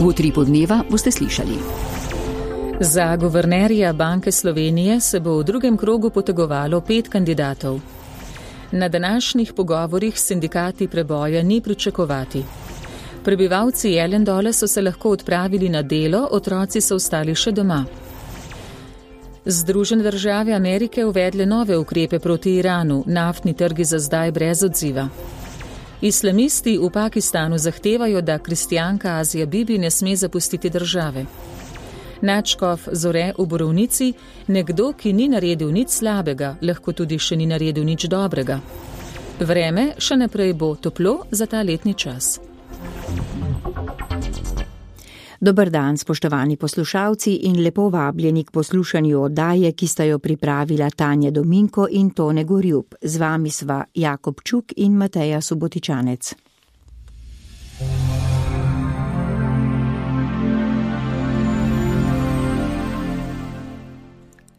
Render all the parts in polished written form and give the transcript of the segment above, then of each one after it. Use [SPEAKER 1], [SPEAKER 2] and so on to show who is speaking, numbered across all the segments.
[SPEAKER 1] V Utripu dneva boste slišali.
[SPEAKER 2] Za guvernerja Banke Slovenije se bo v drugem krogu potegovalo 5 kandidatov. Na današnjih pogovorih s sindikati preboja ni pričakovati. Prebivalci Jelendole so se lahko odpravili na delo, otroci so ostali še doma. Združene države Amerike uvedle nove ukrepe proti Iranu, naftni trgi za zdaj brez odziva. Islamisti v Pakistanu zahtevajo, da kristjanka Azija Bibi ne sme zapustiti države. Nadškof Zore v Borovnici, nekdo, ki ni naredil nič slabega, lahko tudi še ni naredil nič dobrega. Vreme še naprej bo toplo za ta letni čas.
[SPEAKER 3] Dober dan, spoštovani poslušalci in lepo vabljeni k poslušanju oddaje, ki sta jo pripravila Tanja Dominko in Tone Gorjub. Z vami sva Jakob Čuk in Mateja Subotičanec.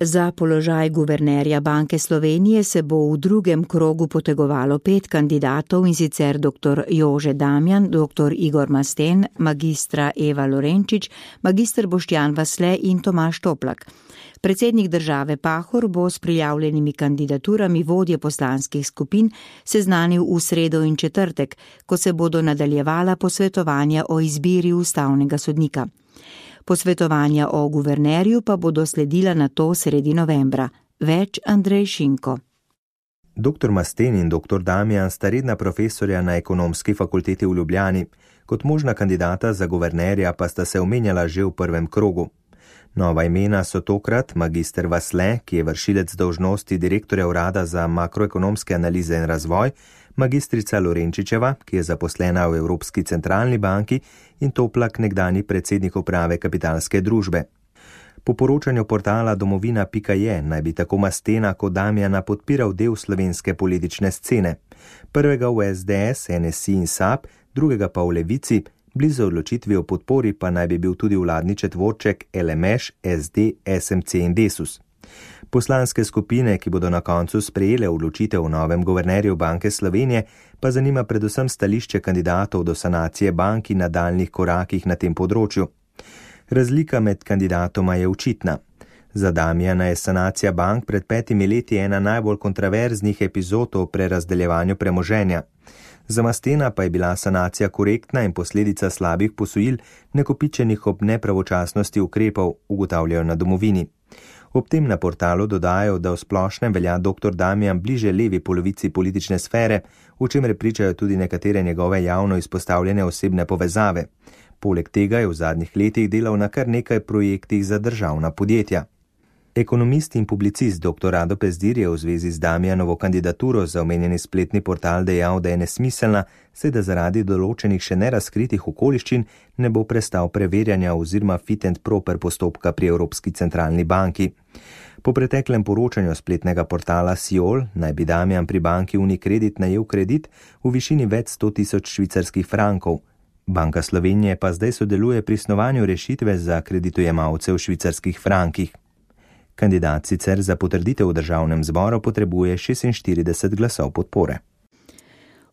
[SPEAKER 3] Za položaj guvernerja Banke Slovenije se bo v drugem krogu potegovalo 5 kandidatov, in sicer dr. Jože Damjan, dr. Igor Masten, magistra Eva Lorenčič, magister Boštjan Vasle in Tomaž Toplak. Predsednik države Pahor bo s prijavljenimi kandidaturami vodje poslanskih skupin seznanil v sredo in četrtek, ko se bodo nadaljevala posvetovanja o izbiri ustavnega sodnika. Posvetovanja o guvernerju pa bodo sledila nato sredi novembra. Več Andrej Šinko.
[SPEAKER 4] Dr. Masten in dr. Damjan sta redna profesorja na Ekonomski fakulteti v Ljubljani. Kot možna kandidata za guvernerja pa sta se omenjala že v prvem krogu. Nova imena so tokrat magister Vasle, ki je vršilec dolžnosti direktorja urada za makroekonomske analize in razvoj, magistrica Lorenčičeva, ki je zaposlena v Evropski centralni banki, in Toplak, nekdani predsednik uprave Kapitalske družbe. Po poročanju portala domovina.je naj bi tako Mastena kot Damjana podpiral del slovenske politične scene. Prvega v SDS, NSI in SAB, drugega pa v Levici, blizu odločitvi o podpori pa naj bi bil tudi vladni četvorček LMŠ, SD, SMC in Desus. Poslanske skupine, ki bodo na koncu sprejele odločitev o novem guvernerju Banke Slovenije, pa zanima predvsem stališče kandidatov do sanacije bank in nadaljnjih korakih na tem področju. Razlika med kandidatoma je očitna. Za Damjana je sanacija bank pred 5 leti ena najbolj kontroverznih epizod o prerazdeljevanju premoženja. Za Mastena pa je bila sanacija korektna in posledica slabih posojil, nakopičenih ob nepravočasnosti ukrepov, ugotavljajo na Domovini. Ob tem na portalu dodajo, da v splošnem velja dr. Damjan bliže levi polovici politične sfere, v čemer pričajo tudi nekatere njegove javno izpostavljene osebne povezave. Poleg tega je v zadnjih letih delal na kar nekaj projektih za državna podjetja. Ekonomist in publicist dr. Rado Pezdir je v zvezi z Damjanovo kandidaturo za omenjeni spletni portal dejal, da je nesmiselna, saj da zaradi določenih še nerazkritih okoliščin ne bo prestal preverjanja oziroma fit and proper postopka pri Evropski centralni banki. Po preteklem poročanju spletnega portala Siol naj bi Damjan pri banki Unicredit najel kredit v višini več 100.000 švicarskih frankov. Banka Slovenije pa zdaj sodeluje pri snovanju rešitve za kreditojemalce v švicarskih frankih. Kandidat sicer za potrditev v državnem zboru potrebuje 46 glasov podpore.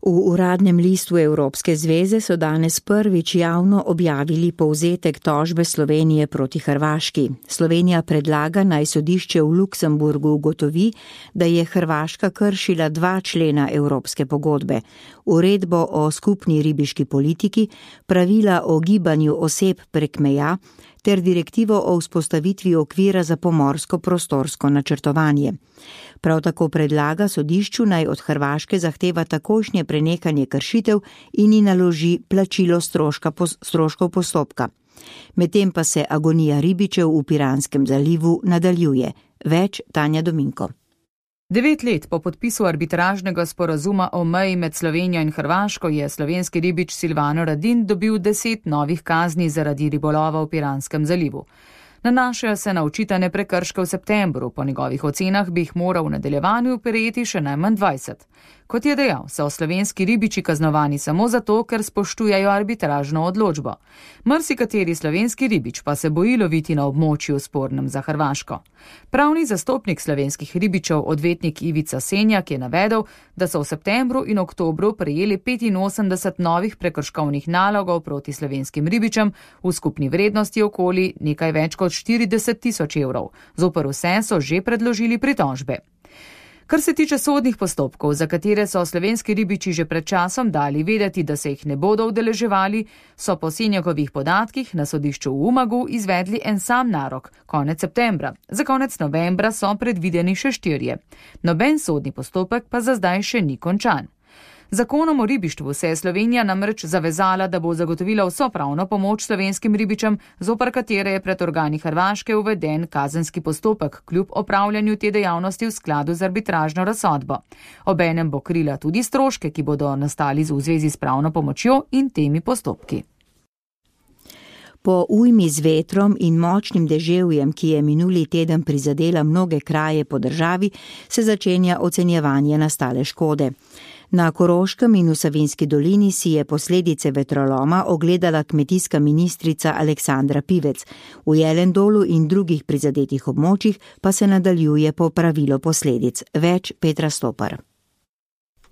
[SPEAKER 3] V uradnem listu Evropske zveze so danes prvič javno objavili povzetek tožbe Slovenije proti Hrvaški. Slovenija predlaga, naj sodišče v Luksemburgu ugotovi, da je Hrvaška kršila 2 člena Evropske pogodbe: uredbo o skupni ribiški politiki, pravila o gibanju oseb prek meja ter direktivo o vzpostavitvi okvira za pomorsko prostorsko načrtovanje. Prav tako predlaga sodišču, naj od Hrvaške zahteva takojšnje prenehanje kršitev in ji naloži plačilo stroškov postopka. Medtem pa se agonija ribičev v Piranskem zalivu nadaljuje. Več Tanja Dominko.
[SPEAKER 5] 9 let po podpisu arbitražnega sporazuma o meji med Slovenijo in Hrvaško je slovenski ribič Silvano Radin dobil 10 novih kazni zaradi ribolova v Piranskem zalivu. Nanašajo se na očitane prekrške v septembru, po njegovih ocenah bi jih moral v nadaljevanju prejeti še najmanj 20. Kot je dejal, so slovenski ribiči kaznovani samo zato, ker spoštujejo arbitražno odločbo. Marsikateri slovenski ribič pa se boji loviti na območju spornem za Hrvaško. Pravni zastopnik slovenskih ribičev, odvetnik Ivica Senjak, je navedel, da so v septembru in oktobru prejeli 85 novih prekrškovnih nalogov proti slovenskim ribičem v skupni vrednosti okoli nekaj več kot 40.000 evrov. Zoper vse so že predložili pritožbe. Kar se tiče sodnih postopkov, za katere so slovenski ribiči že pred časom dali vedeti, da se jih ne bodo udeleževali, so po Senjakovih podatkih na sodišču v Umagu izvedli en sam narok, konec septembra. Za konec novembra so predvideni še 4. Noben sodni postopek pa za zdaj še ni končan. Zakonom o ribištvu se je Slovenija namreč zavezala, da bo zagotovila vso pravno pomoč slovenskim ribičem, zoper katere je pred organi Hrvaške uveden kazenski postopek kljub opravljanju te dejavnosti v skladu z arbitražno razsodbo. Obenem bo krila tudi stroške, ki bodo nastali v zvezi s pravno pomočjo in temi postopki.
[SPEAKER 3] Po ujmi z vetrom in močnim deževjem, ki je minuli teden prizadela mnoge kraje po državi, se začenja ocenjevanje nastale škode. Na Koroškem in v Savinjski dolini si je posledice vetroloma ogledala kmetijska ministrica Aleksandra Pivec. V Jelendolu in drugih prizadetih območjih pa se nadaljuje popravilo posledic. Več Petra Stopar.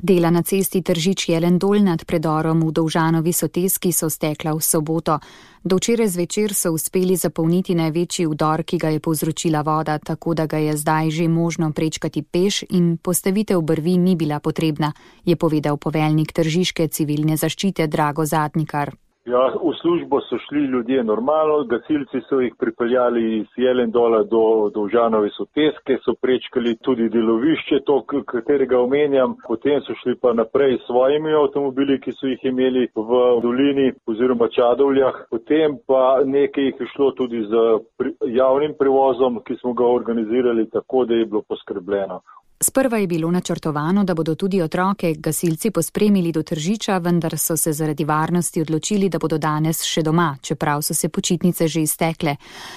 [SPEAKER 6] Dela na cesti Tržič-Jelendol nad predorom v Dovžanovi Soteski so stekla v soboto. Do včeraj zvečer so uspeli zapolniti največji vdor, ki ga je povzročila voda, tako da ga je zdaj že možno prečkati peš in postavitev brvi ni bila potrebna, je povedal poveljnik Tržiške civilne zaščite Drago Zadnikar.
[SPEAKER 7] Ja, v službo so šli ljudje normalno, gasilci so jih pripeljali iz Jelendola do Dovžanove Soteske, so prečkali tudi delovišče, to, katerega omenjam, potem so šli pa naprej s svojimi avtomobili, ki so jih imeli v dolini oziroma Čadovljah, potem pa nekaj jih je šlo tudi z javnim prevozom, ki smo ga organizirali tako, da je bilo poskrbljeno.
[SPEAKER 6] Sprva je bilo načrtovano, da bodo tudi otroke gasilci pospremili do Tržiča, vendar so se zaradi varnosti odločili, da bodo danes še doma, čeprav so se počitnice že iztekle.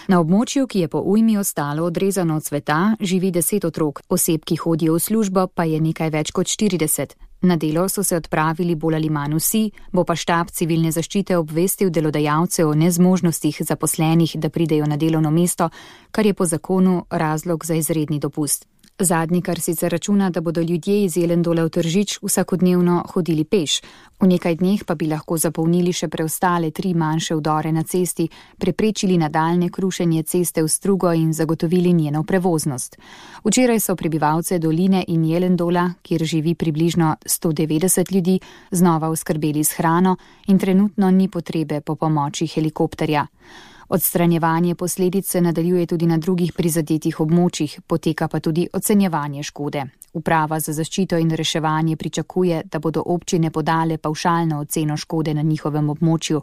[SPEAKER 6] Na območju, ki je po ujmi ostalo odrezano od sveta, živi 10 otrok, oseb, ki hodijo v službo, pa je nekaj več kot 40. Na delo so se odpravili bolj ali manj vsi, bo pa štab civilne zaščite obvestil delodajalce o nezmožnostih zaposlenih, da pridejo na delovno mesto, kar je po zakonu razlog za izredni dopust. Zadnikar sicer računa, da bodo ljudje iz Jelendola v Tržič vsakodnevno hodili peš. V nekaj dneh pa bi lahko zapolnili še preostale 3 manjše vdore na cesti, preprečili nadaljnje krušenje ceste v strugo in zagotovili njeno prevoznost. Včeraj so prebivalce doline in Jelendola, kjer živi približno 190 ljudi, znova oskrbeli s hrano in trenutno ni potrebe po pomoči helikopterja. Odstranjevanje posledic se nadaljuje tudi na drugih prizadetih območjih, poteka pa tudi ocenjevanje škode. Uprava za zaščito in reševanje pričakuje, da bodo občine podale pavšalno oceno škode na njihovem območju.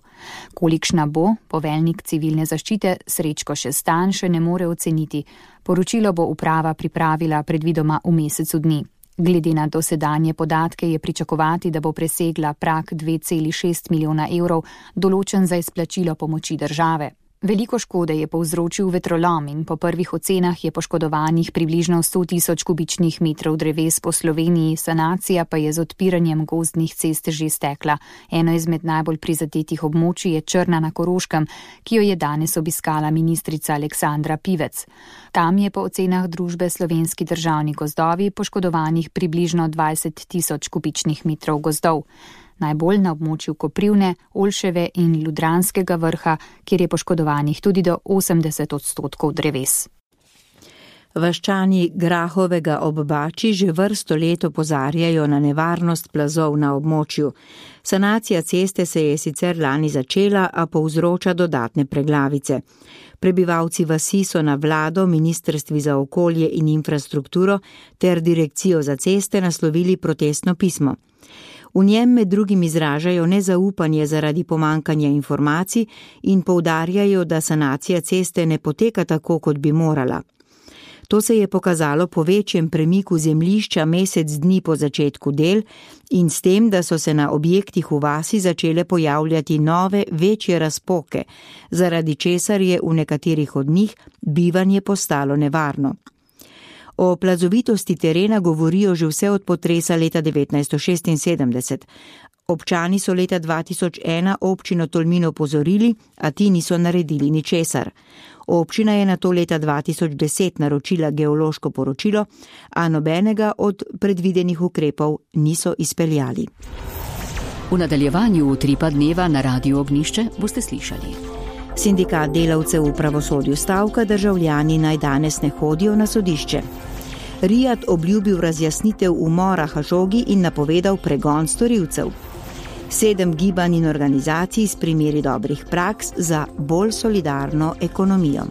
[SPEAKER 6] Kolikšna bo, poveljnik civilne zaščite Srečko Šestan še ne more oceniti. Poročilo bo uprava pripravila predvidoma v mesecu dni. Glede na dosedanje podatke je pričakovati, da bo presegla prag 2,6 milijona evrov, določen za izplačilo pomoči države. Veliko škode je povzročil vetrolom in po prvih ocenah je poškodovanih približno 100.000 kubičnih metrov dreves po Sloveniji, sanacija pa je z odpiranjem gozdnih cest že stekla. Eno izmed najbolj prizadetih območij je Črna na Koroškem, ki jo je danes obiskala ministrica Aleksandra Pivec. Tam je po ocenah družbe Slovenski državni gozdovi poškodovanih približno 20.000 kubičnih metrov gozdov. Najbolj na območju Koprivne, Olševe in Ljudranskega vrha, kjer je poškodovanih tudi do 80% dreves.
[SPEAKER 3] Vaščani Grahovega ob Bači že vrsto let opozarjajo na nevarnost plazov na območju. Sanacija ceste se je sicer lani začela, a povzroča dodatne preglavice. Prebivalci vasi so na vlado, Ministrstvi za okolje in infrastrukturo ter Direkcijo za ceste naslovili protestno pismo. V njem med drugim izražajo nezaupanje zaradi pomankanja informacij in poudarjajo, da sanacija ceste ne poteka tako, kot bi morala. To se je pokazalo po večjem premiku zemljišča mesec dni po začetku del in s tem, da so se na objektih v vasi začele pojavljati nove, večje razpoke, zaradi česar je v nekaterih od njih bivanje postalo nevarno. O plazovitosti terena govorijo že vse od potresa leta 1976. Občani so leta 2001 občino Tolmin opozorili, a ti niso naredili ničesar. Občina je nato leta 2010 naročila geološko poročilo, a nobenega od predvidenih ukrepov niso izpeljali.
[SPEAKER 1] V nadaljevanju Utripa dneva na Radiu Ognjišče boste slišali.
[SPEAKER 3] Sindikat delavcev v pravosodju stavka, državljani naj danes ne hodijo na sodišče. Rijad obljubil razjasnitev umora Hašogi in napovedal pregon storilcev. 7 gibanj in organizacij s primeri dobrih praks za bolj solidarno ekonomijo.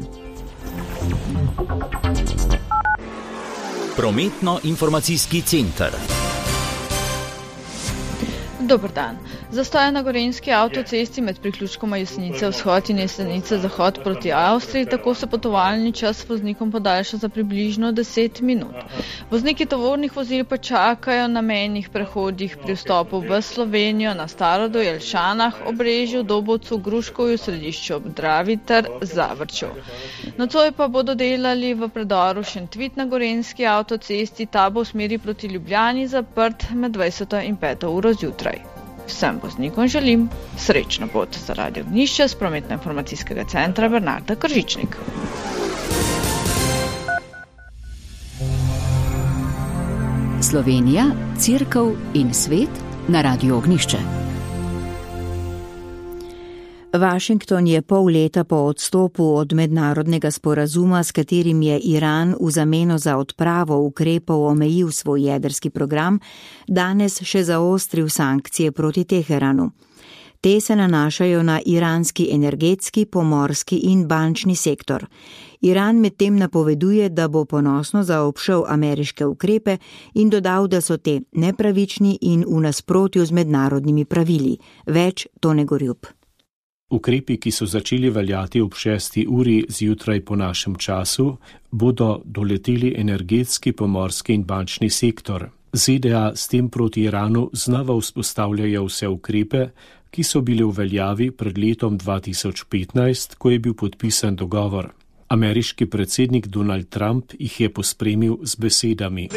[SPEAKER 8] Prometno-informacijski center.
[SPEAKER 9] Dober dan. Zastoj na gorenjski avtocesti med priključkoma Jesenice vzhod in Jesenice zahod proti Avstriji, tako se potovalni čas voznikom podaljša za približno 10 minut. Vozniki tovornih vozil pa čakajo na mejnih prehodih pri vstopu v Slovenijo, na Starodu, Jelšanah, Obrežju, Dobovcu, Gruškovju, Središču ob Dravi ter Zavrču. Nocoj pa bodo delali v predoru Šentvid na gorenjski avtocesti, ta bo v smeri proti Ljubljani zaprt med 20. in 5. uro zjutraj. Vsem voznikom želim srečno pot za Radio Ognjišče z prometno-informacijskega centra Bernarda Kržičnik.
[SPEAKER 1] Slovenija, Cerkev in svet na Radiu Ognjišče.
[SPEAKER 3] Washington je pol leta po odstopu od mednarodnega sporazuma, s katerim je Iran v zameno za odpravo ukrepov omejil svoj jedrski program, danes še zaostril sankcije proti Teheranu. Te se nanašajo na iranski energetski, pomorski in bančni sektor. Iran medtem napoveduje, da bo ponosno zaobšel ameriške ukrepe in dodal, da so te nepravični in v nasprotju z mednarodnimi pravili. Več Tone Gorjup.
[SPEAKER 10] Ukrepi, ki so začeli veljati ob 6. uri zjutraj po našem času, bodo doleteli energetski, pomorski in bančni sektor. ZDA s tem proti Iranu znova vzpostavljajo vse ukrepe, ki so bili v veljavi pred letom 2015, ko je bil podpisan dogovor. Ameriški predsednik Donald Trump jih je pospremil z besedami.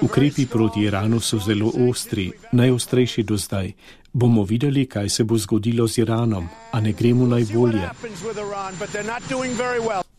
[SPEAKER 10] Ukrepi proti Iranu so zelo ostri, najostrejši do zdaj. Bomo videli, kaj se bo zgodilo z Iranom, a ne gremo najbolje.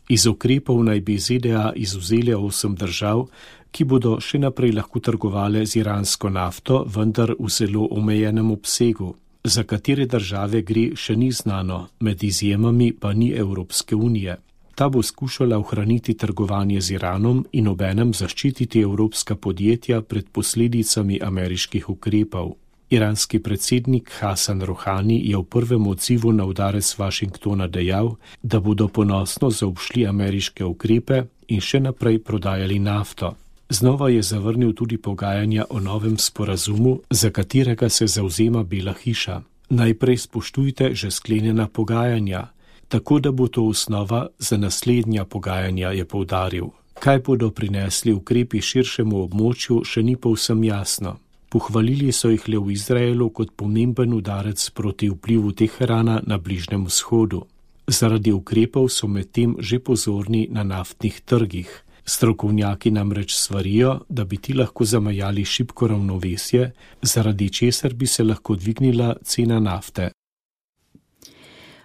[SPEAKER 10] Iz ukrepov naj bi ZDA izvzeli 8 držav, ki bodo še naprej lahko trgovale z iransko nafto, vendar v zelo omejenem obsegu. Za katere države gre, še ni znano, med izjemami pa ni Evropske unije. Ta bo skušala ohraniti trgovanje z Iranom in obenem zaščititi evropska podjetja pred posledicami ameriških ukrepov. Iranski predsednik Hasan Rohani je v prvem odzivu na udarec Washingtona dejal, da bodo ponosno zaobšli ameriške ukrepe in še naprej prodajali nafto. Znova je zavrnil tudi pogajanja o novem sporazumu, za katerega se zavzema Bela hiša. Najprej spoštujte že sklenjena pogajanja, tako da bo to osnova za naslednja pogajanja, je poudaril. Kaj bodo prinesli ukrepi širšemu območju, še ni povsem jasno. Pohvalili so jih le v Izraelu kot pomemben udarec proti vplivu Teherana na Bližnjem vzhodu. Zaradi ukrepov so medtem že pozorni na naftnih trgih. Strokovnjaki namreč svarijo, da bi ti lahko zamajali šibko ravnovesje, zaradi česar bi se lahko dvignila cena nafte.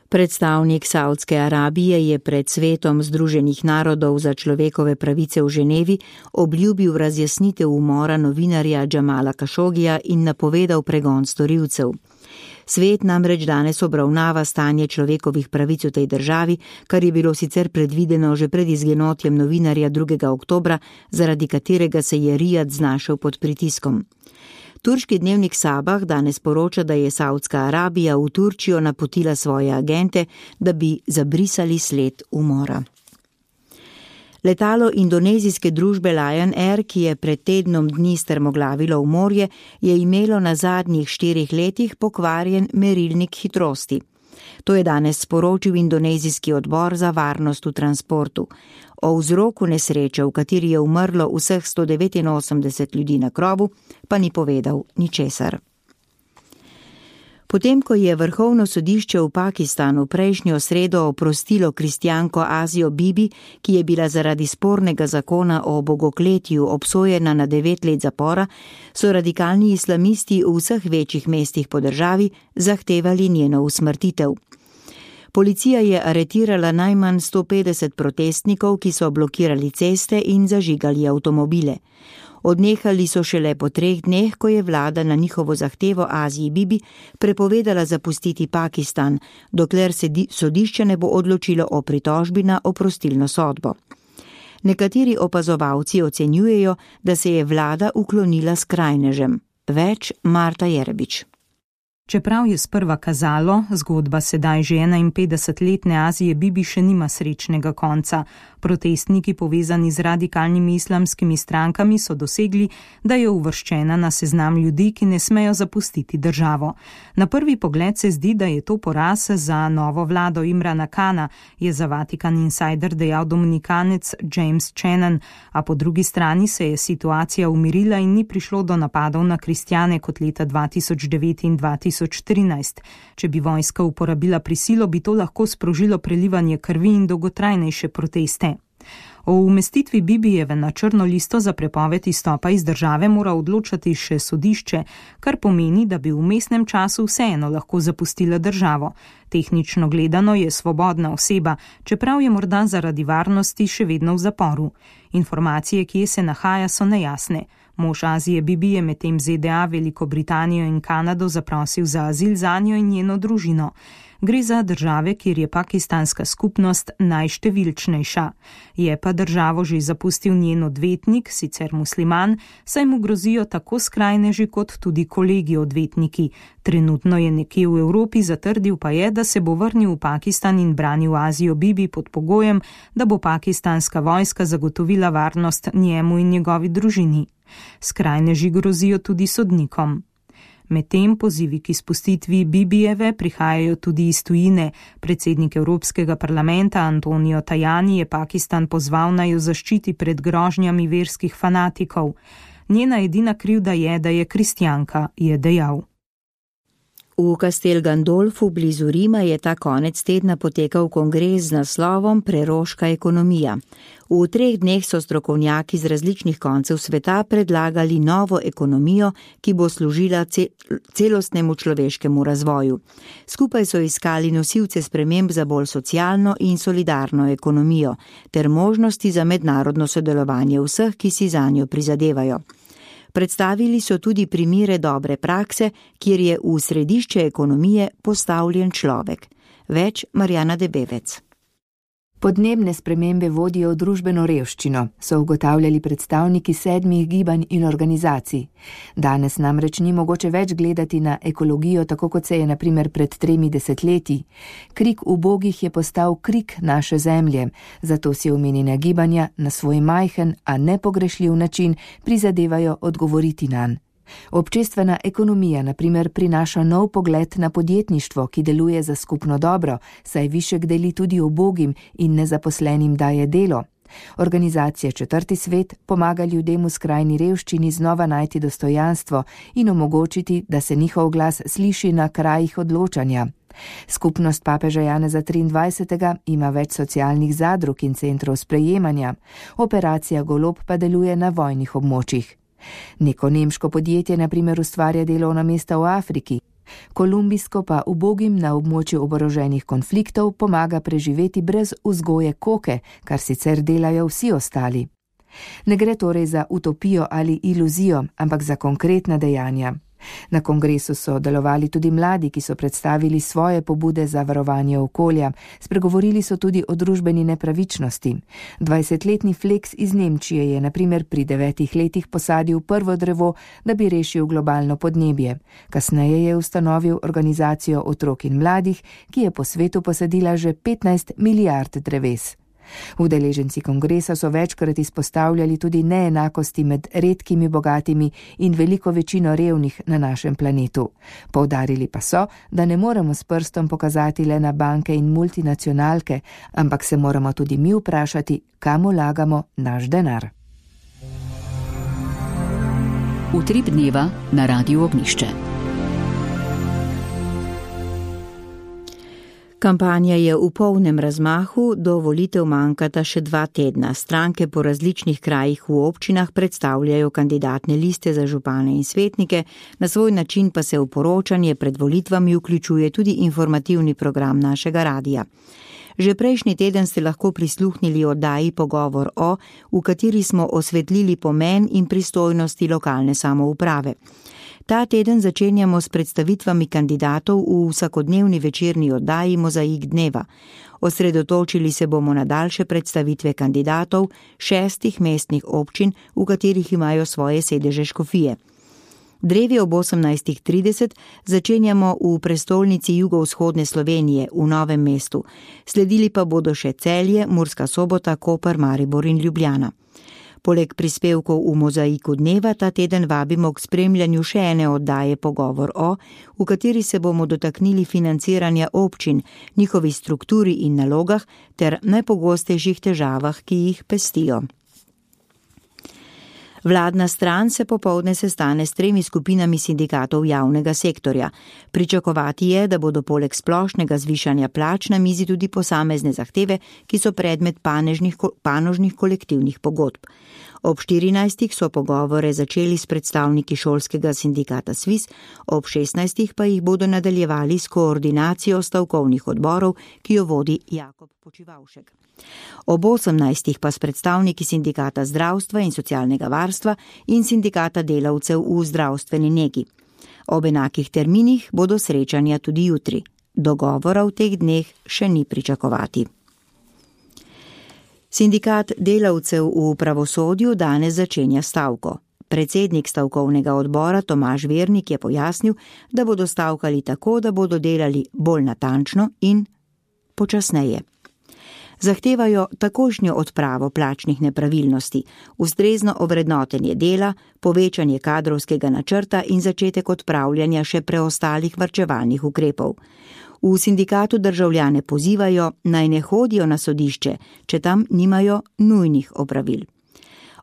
[SPEAKER 3] Predstavnik Saudske Arabije je pred svetom Združenih narodov za človekove pravice v Ženevi obljubil razjasnitev umora novinarja Džamala Kašogija in napovedal pregon storilcev. Svet namreč danes obravnava stanje človekovih pravic v tej državi, kar je bilo sicer predvideno že pred izginotjem novinarja 2. oktobra, zaradi katerega se je Rijad znašel pod pritiskom. Turški dnevnik Sabah danes poroča, da je Saudska Arabija v Turčijo napotila svoje agente, da bi zabrisali sled umora. Letalo indonezijske družbe Lion Air, ki je pred tednom dni strmoglavilo v morje, je imelo na zadnjih 4 letih pokvarjen merilnik hitrosti. To je danes sporočil indonezijski odbor za varnost v transportu. O vzroku nesreče, v kateri je umrlo vseh 189 ljudi na krovu, pa ni povedal ničesar. Potem, ko je Vrhovno sodišče v Pakistanu prejšnjo sredo oprostilo kristjanko Azijo Bibi, ki je bila zaradi spornega zakona o bogokletju obsojena na 9 let zapora, so radikalni islamisti v vseh večjih mestih po državi zahtevali njeno usmrtitev. Policija je aretirala najmanj 150 protestnikov, ki so blokirali ceste in zažigali avtomobile. Odnehali so šele po 3 dneh, ko je vlada na njihovo zahtevo Aziji Bibi prepovedala zapustiti Pakistan, dokler se sodišče ne bo odločilo o pritožbi na oprostilno sodbo. Nekateri opazovalci ocenjujejo, da se je vlada uklonila skrajnežem. Več Marta Jerebič.
[SPEAKER 11] Čeprav je sprva kazalo, zgodba sedaj že 51-letne Azije Bibi še nima srečnega konca. Protestniki povezani z radikalnimi islamskimi strankami so dosegli, da je uvrščena na seznam ljudi, ki ne smejo zapustiti državo. Na prvi pogled se zdi, da je to poraz za novo vlado Imrana Kana, je za Vatikan Insider dejal dominikanec James Channon, a po drugi strani se je situacija umirila in ni prišlo do napadov na kristjane kot leta 2009 in 2013. Če bi vojska uporabila prisilo, bi to lahko sprožilo prelivanje krvi in dolgotrajnejše proteste. O umestitvi Bibijeve na črno listo za prepoved izstopa iz države mora odločati še sodišče, kar pomeni, da bi v vmesnem času vseeno lahko zapustila državo. Tehnično gledano je svobodna oseba, čeprav je morda zaradi varnosti še vedno v zaporu. Informacije, kje se nahaja, so nejasne. Mož Azije Bibi je medtem ZDA, Veliko Britanijo in Kanado zaprosil za azil zanjo in njeno družino. Gre za države, kjer je pakistanska skupnost najštevilčnejša. Je pa državo že zapustil njen odvetnik, sicer musliman, saj mu grozijo tako skrajneži kot tudi kolegi odvetniki. Trenutno je nekje v Evropi, zatrdil pa je, da se bo vrnil v Pakistan in branil Azijo Bibi pod pogojem, da bo pakistanska vojska zagotovila varnost njemu in njegovi družini. Skrajneži grozijo tudi sodnikom. Medtem pozivi k izpustitvi Bibijeve prihajajo tudi iz tujine. Predsednik Evropskega parlamenta Antonio Tajani je Pakistan pozval, naj jo zaščiti pred grožnjami verskih fanatikov. Njena edina krivda je, da je kristjanka, je dejal.
[SPEAKER 3] V Castel Gandolfu blizu Rima je ta konec tedna potekal kongres z naslovom Preroška ekonomija. V 3 dneh so strokovnjaki z različnih koncev sveta predlagali novo ekonomijo, ki bo služila celostnemu človeškemu razvoju. Skupaj so iskali nosilce sprememb za bolj socialno in solidarno ekonomijo ter možnosti za mednarodno sodelovanje vseh, ki si zanjo prizadevajo. Predstavili so tudi primere dobre prakse, kjer je v središče ekonomije postavljen človek. Več Marjana Debevec.
[SPEAKER 12] Podnebne spremembe vodijo v družbeno revščino, so ugotavljali predstavniki 7 gibanj in organizacij. Danes namreč ni mogoče več gledati na ekologijo, tako kot se je na primer pred 3 desetletji. Krik ubogih je postal krik naše zemlje, zato si omenjena gibanja na svoj majhen, a nepogrešljiv način prizadevajo odgovoriti nanj. Občestvena ekonomija na primer prinaša nov pogled na podjetništvo, ki deluje za skupno dobro, saj višek deli tudi ubogim in nezaposlenim daje delo. Organizacija Četrti svet pomaga ljudem v skrajni revščini znova najti dostojanstvo in omogočiti, da se njihov glas sliši na krajih odločanja. Skupnost papeža Janeza 23. ima več socialnih zadrug in centrov sprejemanja. Operacija Golob pa deluje na vojnih območjih. Neko nemško podjetje na primer ustvarja delovna mesta v Afriki, kolumbijsko pa ubogim na območju oboroženih konfliktov pomaga preživeti brez vzgoje koke, kar sicer delajo vsi ostali. Ne gre torej za utopijo ali iluzijo, ampak za konkretna dejanja. Na kongresu so delovali tudi mladi, ki so predstavili svoje pobude za varovanje okolja. Spregovorili so tudi o družbeni nepravičnosti. 20-letni Flex iz Nemčije je na primer pri 9 letih posadil prvo drevo, da bi rešil globalno podnebje. Kasneje je ustanovil organizacijo otrok in mladih, ki je po svetu posadila že 15 milijard dreves. Udeleženci kongresa so večkrat izpostavljali tudi neenakosti med redkimi bogatimi in veliko večino revnih na našem planetu. Poudarili pa so, da ne moremo s prstom pokazati le na banke in multinacionalke, ampak se moramo tudi mi vprašati, kam vlagamo naš denar.
[SPEAKER 1] Utrip dneva na Radiu Ognjišče.
[SPEAKER 3] Kampanja je v polnem razmahu, do volitev manjkata še 2 tedna. Stranke po različnih krajih v občinah predstavljajo kandidatne liste za župane in svetnike, na svoj način pa se v poročanje pred volitvami vključuje tudi informativni program našega radija. Že prejšnji teden ste lahko prisluhnili oddaji Pogovor o, v kateri smo osvetlili pomen in pristojnosti lokalne samouprave. Ta teden začenjamo s predstavitvami kandidatov v vsakodnevni večerni oddaji Mozaik dneva. Osredotočili se bomo na daljše predstavitve kandidatov 6 mestnih občin, v katerih imajo svoje sedeže škofije. Drevi ob 18:30 začenjamo v prestolnici jugovzhodne Slovenije v Novem mestu. Sledili pa bodo še Celje, Murska Sobota, Koper, Maribor in Ljubljana. Poleg prispevkov v Mozaiku dneva ta teden vabimo k spremljanju še ene oddaje Pogovor o, v kateri se bomo dotaknili financiranja občin, njihovi strukturi in nalogah ter najpogostejših težavah, ki jih pestijo. Vladna stran se popoldne sestane s 3 skupinami sindikatov javnega sektorja. Pričakovati je, da bodo poleg splošnega zvišanja plač na mizi tudi posamezne zahteve, ki so predmet panožnih kolektivnih pogodb. Ob 14. so pogovore začeli s predstavniki šolskega sindikata SVIS, ob 16. pa jih bodo nadaljevali s koordinacijo stavkovnih odborov, ki jo vodi Jakob Počivavšek. Ob 18. pa s predstavniki sindikata zdravstva in socialnega varstva in sindikata delavcev v zdravstveni negi. Ob enakih terminih bodo srečanja tudi jutri. Dogovora v teh dneh še ni pričakovati. Sindikat delavcev v pravosodju danes začenja stavko. Predsednik stavkovnega odbora Tomaž Vernik je pojasnil, da bodo stavkali tako, da bodo delali bolj natančno in počasneje. Zahtevajo takošnjo odpravo plačnih nepravilnosti, ustrezno ovrednotenje dela, povečanje kadrovskega načrta in začetek odpravljanja še preostalih varčevalnih ukrepov. V sindikatu državljane pozivajo, naj ne hodijo na sodišče, če tam nimajo nujnih opravil.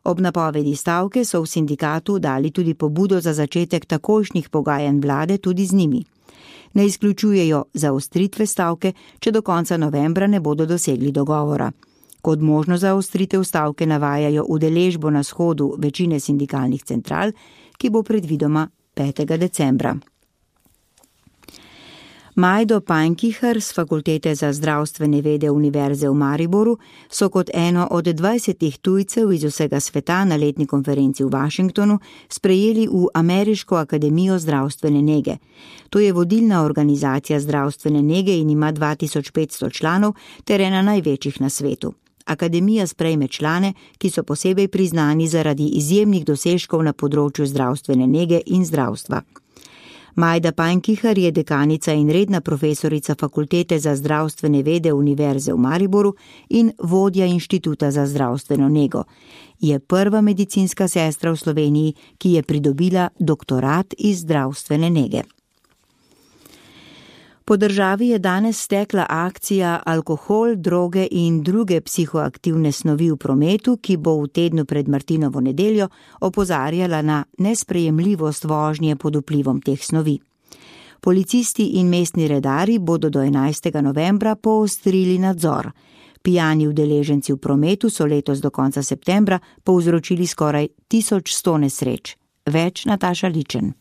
[SPEAKER 3] Ob napovedi stavke so v sindikatu dali tudi pobudo za začetek takošnjih pogajanj vlade tudi z njimi. Ne izključujejo zaostritve stavke, če do konca novembra ne bodo dosegli dogovora. Kot možno zaostritev stavke navajajo udeležbo na shodu večine sindikalnih central, ki bo predvidoma 5. decembra. Majdo Pankihar z Fakultete za zdravstvene vede Univerze v Mariboru so kot eno od 20 tujcev iz vsega sveta na letni konferenci v Washingtonu sprejeli v Ameriško akademijo zdravstvene nege. To je vodilna organizacija zdravstvene nege in ima 2500 članov ter ena največjih na svetu. Akademija sprejme člane, ki so posebej priznani zaradi izjemnih dosežkov na področju zdravstvene nege in zdravstva. Majda Pankihar je dekanica in redna profesorica Fakultete za zdravstvene vede Univerze v Mariboru in vodja Inštituta za zdravstveno nego. Je prva medicinska sestra v Sloveniji, ki je pridobila doktorat iz zdravstvene nege. Po državi je danes stekla akcija Alkohol, droge in druge psihoaktivne snovi v prometu, ki bo v tednu pred Martinovo nedeljo opozarjala na nesprejemljivost vožnje pod vplivom teh snovi. Policisti in mestni redari bodo do 11. novembra poostrili nadzor. Pijani udeleženci v prometu so letos do konca septembra povzročili skoraj 1100 nesreč. Več Nataša Ličen.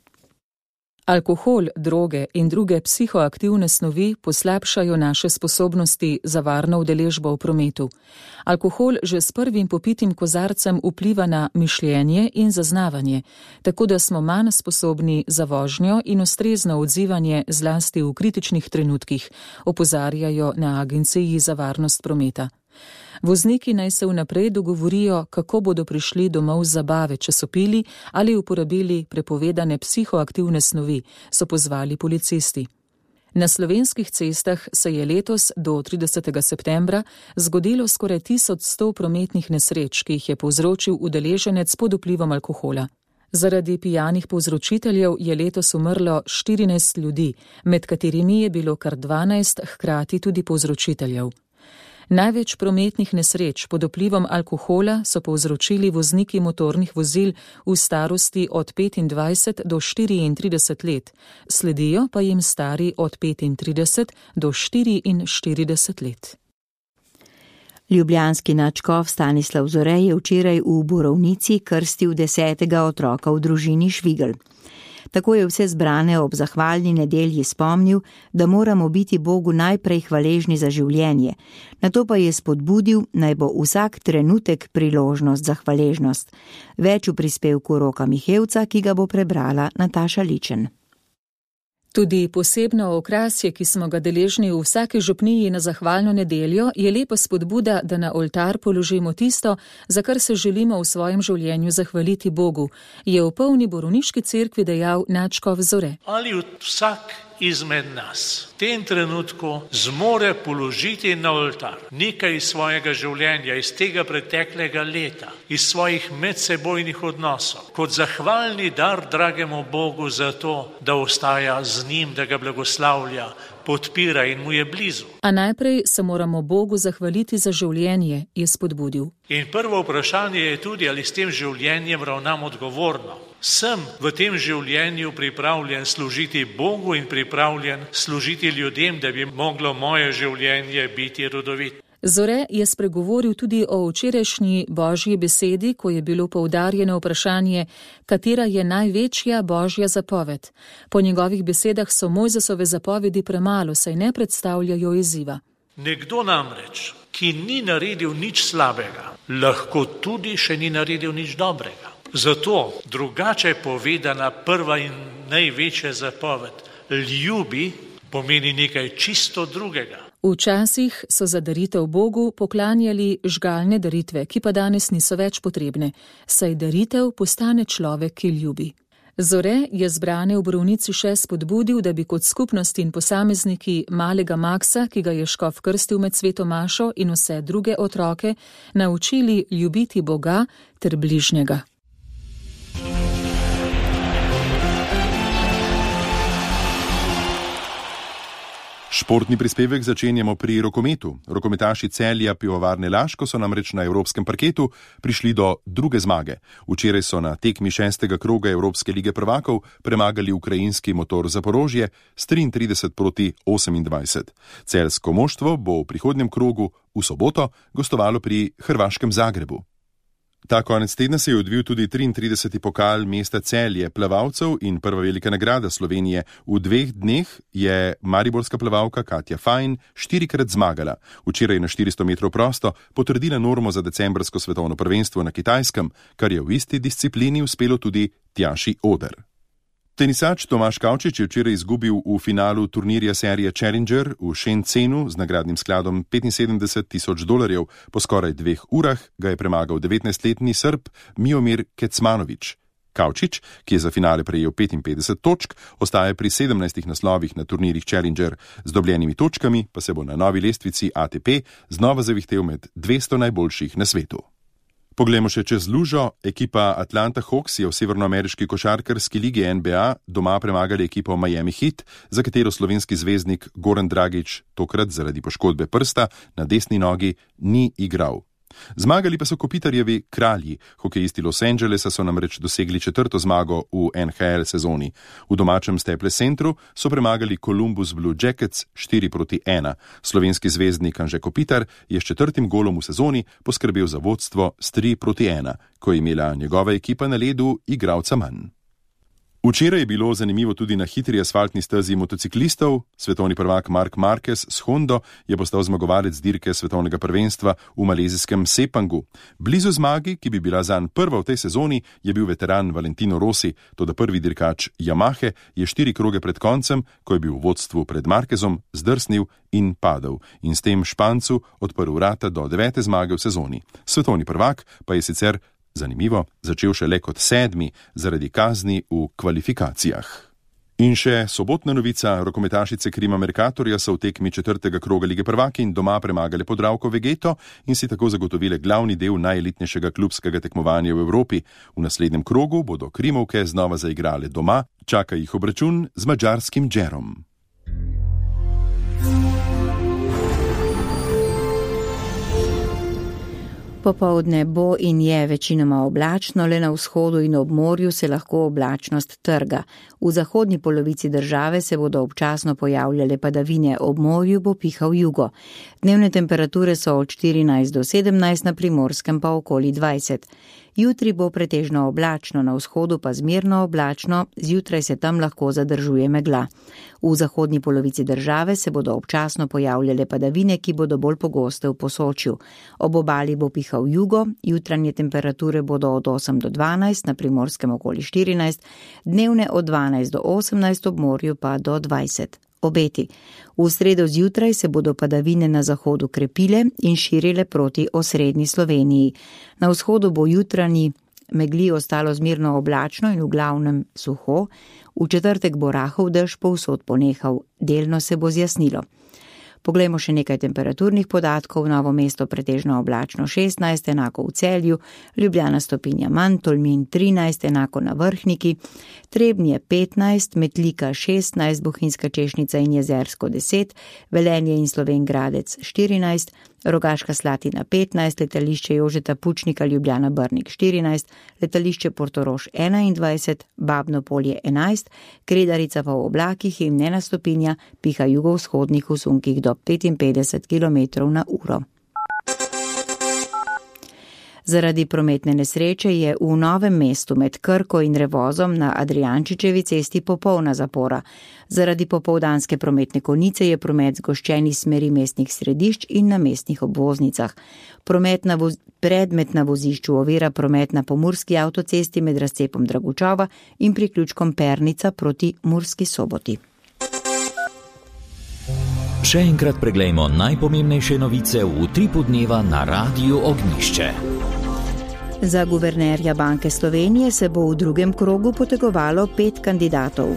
[SPEAKER 2] Alkohol, droge in druge psihoaktivne snovi poslabšajo naše sposobnosti za varno udeležbo v prometu. Alkohol že s prvim popitim kozarcem vpliva na mišljenje in zaznavanje, tako da smo manj sposobni za vožnjo in ustrezno odzivanje zlasti v kritičnih trenutkih, opozarjajo na Agenciji za varnost prometa. Vozniki naj se vnaprej dogovorijo, kako bodo prišli domov z zabave, če so pili ali uporabili prepovedane psihoaktivne snovi, so pozvali policisti. Na slovenskih cestah se je letos do 30. septembra zgodilo skoraj 1100 prometnih nesreč, ki jih je povzročil udeleženec pod vplivom alkohola. Zaradi pijanih povzročiteljev je letos umrlo 14 ljudi, med katerimi je bilo kar 12 hkrati tudi povzročiteljev. Največ prometnih nesreč pod vplivom alkohola so povzročili vozniki motornih vozil v starosti od 25 do 34 let, sledijo pa jim stari od 35 do 44 let.
[SPEAKER 3] Ljubljanski nadškof Stanislav Zore je včeraj v Borovnici krstil 10. otroka v družini Švigl. Tako je vse zbrane ob zahvalni nedelji spomnil, da moramo biti Bogu najprej hvaležni za življenje, nato pa je spodbudil, naj bo vsak trenutek priložnost za hvaležnost. Več v prispevku Roka Mihevca, ki ga bo prebrala Nataša Ličen.
[SPEAKER 2] Tudi posebno okrasje, ki smo ga deležni v vsaki župniji na zahvalno nedeljo, je lepa spodbuda, da na oltar položimo tisto, za kar se želimo v svojem življenju zahvaliti Bogu, je v polni borovniški cerkvi dejal nadškof Zore.
[SPEAKER 13] Ali vsak izmed nas v tem trenutku zmore položiti na oltar nekaj iz svojega življenja, iz tega preteklega leta, iz svojih medsebojnih odnosov, kot zahvalni dar dragemu Bogu za to, da ostaja z njim, da ga blagoslavlja, podpira in mu je blizu.
[SPEAKER 2] A najprej se moramo Bogu zahvaliti za življenje, je spodbudil.
[SPEAKER 13] In prvo vprašanje je tudi, ali s tem življenjem ravnam odgovorno. Sem v tem življenju pripravljen služiti Bogu in pripravljen služiti ljudem, da bi moglo moje življenje biti rodovito.
[SPEAKER 2] Zore je spregovoril tudi o včerajšnji Božji besedi, ko je bilo poudarjeno vprašanje, katera je največja Božja zapoved. Po njegovih besedah so Mojzesove zapovedi premalo, saj ne predstavljajo izziva.
[SPEAKER 13] Nekdo namreč, ki ni naredil nič slabega, lahko tudi še ni naredil nič dobrega. Zato drugače povedana prva in največja zapoved, ljubi, pomeni nekaj čisto drugega.
[SPEAKER 2] Včasih so za daritev Bogu poklanjali žgalne daritve, ki pa danes niso več potrebne, saj daritev postane človek, ki ljubi. Zore je zbrane v Borovnici še spodbudil, da bi kot skupnost in posamezniki malega Maksa, ki ga je škof krstil med sveto mašo, in vse druge otroke naučili ljubiti Boga ter bližnjega.
[SPEAKER 14] Športni prispevek začenjamo pri rokometu. Rokometaši Celja Pivovarne Laško so namreč na evropskem parketu prišli do druge zmage. Včeraj so na tekmi 6. kroga Evropske lige prvakov premagali ukrajinski Motor Zaporožje s 33-28. Celjsko moštvo bo v prihodnjem krogu v soboto gostovalo pri hrvaškem Zagrebu. Ta konec tedna se je odvil tudi 33. pokal mesta Celje plavalcev in prva velika nagrada Slovenije. V 2 dneh je mariborska plavalka Katja Fajn 4-krat zmagala. Včeraj na 400 metrov prosto potrdila normo za decembrsko svetovno prvenstvo na Kitajskem, kar je v isti disciplini uspelo tudi Tjaši Oder. Tenisač Tomaž Kavčič je včeraj izgubil v finalu turnirja serije Challenger v Shenzhenu z nagradnim skladom $75,000. Po skoraj 2 urah ga je premagal 19-letni Srb Miomir Kecmanović. Kavčič, ki je za finale prejel 55 točk, ostaja pri 17 naslovih na turnirjih Challenger. Z dobljenimi točkami pa se bo na novi lestvici ATP znova zavihtel med 200 najboljših na svetu. Poglejmo še čez lužo. Ekipa Atlanta Hawks je v severnoameriški košarkarski ligi NBA doma premagali ekipo Miami Heat, za katero slovenski zvezdnik Goran Dragić tokrat zaradi poškodbe prsta na desni nogi ni igral. Zmagali pa so Kopitarjevi kralji. Hokejisti Los Angelesa so namreč dosegli 4. zmago v NHL sezoni. V domačem Staples Centru so premagali Columbus Blue Jackets 4-1. Slovenski zvezdnik Anže Kopitar je s 4. golom v sezoni poskrbel za vodstvo s 3-1, ko je imela njegova ekipa na ledu igralca manj. Včeraj je bilo zanimivo tudi na hitri asfaltni stezi motociklistov. Svetovni prvak Marc Marquez s Hondo je postal zmagovalec dirke svetovnega prvenstva v malezijskem Sepangu. Blizu zmagi, ki bi bila zanj prva v tej sezoni, je bil veteran Valentino Rossi, toda prvi dirkač Yamahe je 4 kroge pred koncem, ko je bil v vodstvu pred Marquezom, zdrsnil in padel in s tem Špancu odprl vrata do 9. zmage v sezoni. Svetovni prvak pa je sicer zanimivo, začel šele kot 7. zaradi kazni v kvalifikacijah. In še sobotna novica, rokometašice Krima Mercatorja so v tekmi 4. kroga lige prvakinj doma premagale Podravko Vegeto in si tako zagotovile glavni del najelitnejšega klubskega tekmovanja v Evropi. V naslednjem krogu bodo Krimovke znova zaigrale doma, čaka jih obračun z madžarskim Džerom.
[SPEAKER 3] Popoldne bo in je večinoma oblačno, le na vzhodu in ob morju se lahko oblačnost trga. V zahodni polovici države se bodo občasno pojavljale padavine, ob morju bo pihal jugo. Dnevne temperature so od 14 do 17, na Primorskem pa okoli 20. Jutri bo pretežno oblačno, na vzhodu pa zmerno oblačno, zjutraj se tam lahko zadržuje megla. V zahodni polovici države se bodo občasno pojavljale padavine, ki bodo bolj pogoste v Posočju. Ob obali bo pihal jugo, jutranje temperature bodo od 8 do 12, na Primorskem okoli 14, dnevne od 12 do 18, ob morju pa do 20. Obeti. V sredo zjutraj se bodo padavine na zahodu krepile in širile proti osrednji Sloveniji. Na vzhodu bo jutranji megli ostalo zmerno oblačno in v glavnem suho, v četrtek bo rahel dež povsod ponehal, delno se bo zjasnilo. Poglejmo še nekaj temperaturnih podatkov. Novo mesto pretežno oblačno 16, enako v Celju, Ljubljana stopinja manj, Tolmin 13, enako na Vrhniki, Trebnje 15, Metlika 16, Bohinjska Češnica in Jezersko 10, Velenje in Slovenj Gradec 14, Rogaška Slatina 15, letališče Jožeta Pučnika Ljubljana Brnik 14, letališče Portorož 21, Babno Polje 11, Kredarica pa v oblakih in ena stopinja, piha jugovzhodnih v sunkih do 55 km/h. Zaradi prometne nesreče je v Novem mestu med Krko in Revozom na Adrijančičevi cesti popolna zapora. Zaradi popoldanske prometne konice je promet zgoščen iz smeri mestnih središč in na mestnih obvoznicah. Predmet na vozišču ovira promet na Pomurski avtocesti med razcepom Dragučova in priključkom Pernica proti Murski Soboti.
[SPEAKER 8] Še enkrat preglejmo najpomembnejše novice v utripu dneva na Radiu Ognjišče.
[SPEAKER 3] Za guvernerja Banke Slovenije se bo v drugem krogu potegovalo 5 kandidatov.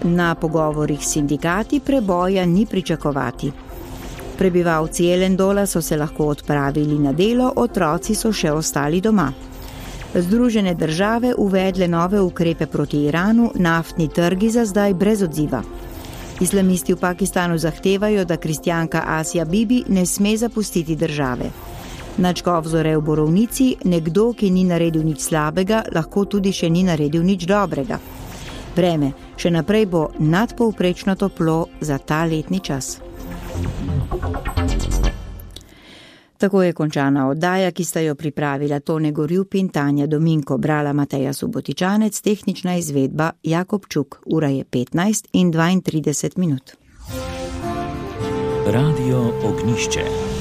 [SPEAKER 3] Na pogovorih s sindikati preboja ni pričakovati. Prebivalci Jelendola so se lahko odpravili na delo, otroci so še ostali doma. Združene države uvedle nove ukrepe proti Iranu, naftni trgi za zdaj brez odziva. Islamisti v Pakistanu zahtevajo, da kristjanka Asija Bibi ne sme zapustiti države. Nadškof Zore v Borovnici, nekdo, ki ni naredil nič slabega, lahko tudi še ni naredil nič dobrega. Vreme še naprej bo nadpovprečno toplo za ta letni čas. Tako je končana oddaja, ki sta jo pripravila Tone Gorjup in Tanja Dominko, brala Mateja Subotičanec, tehnična izvedba Jakob Čuk. Ura je 15:32.
[SPEAKER 8] Radio Ognjišče.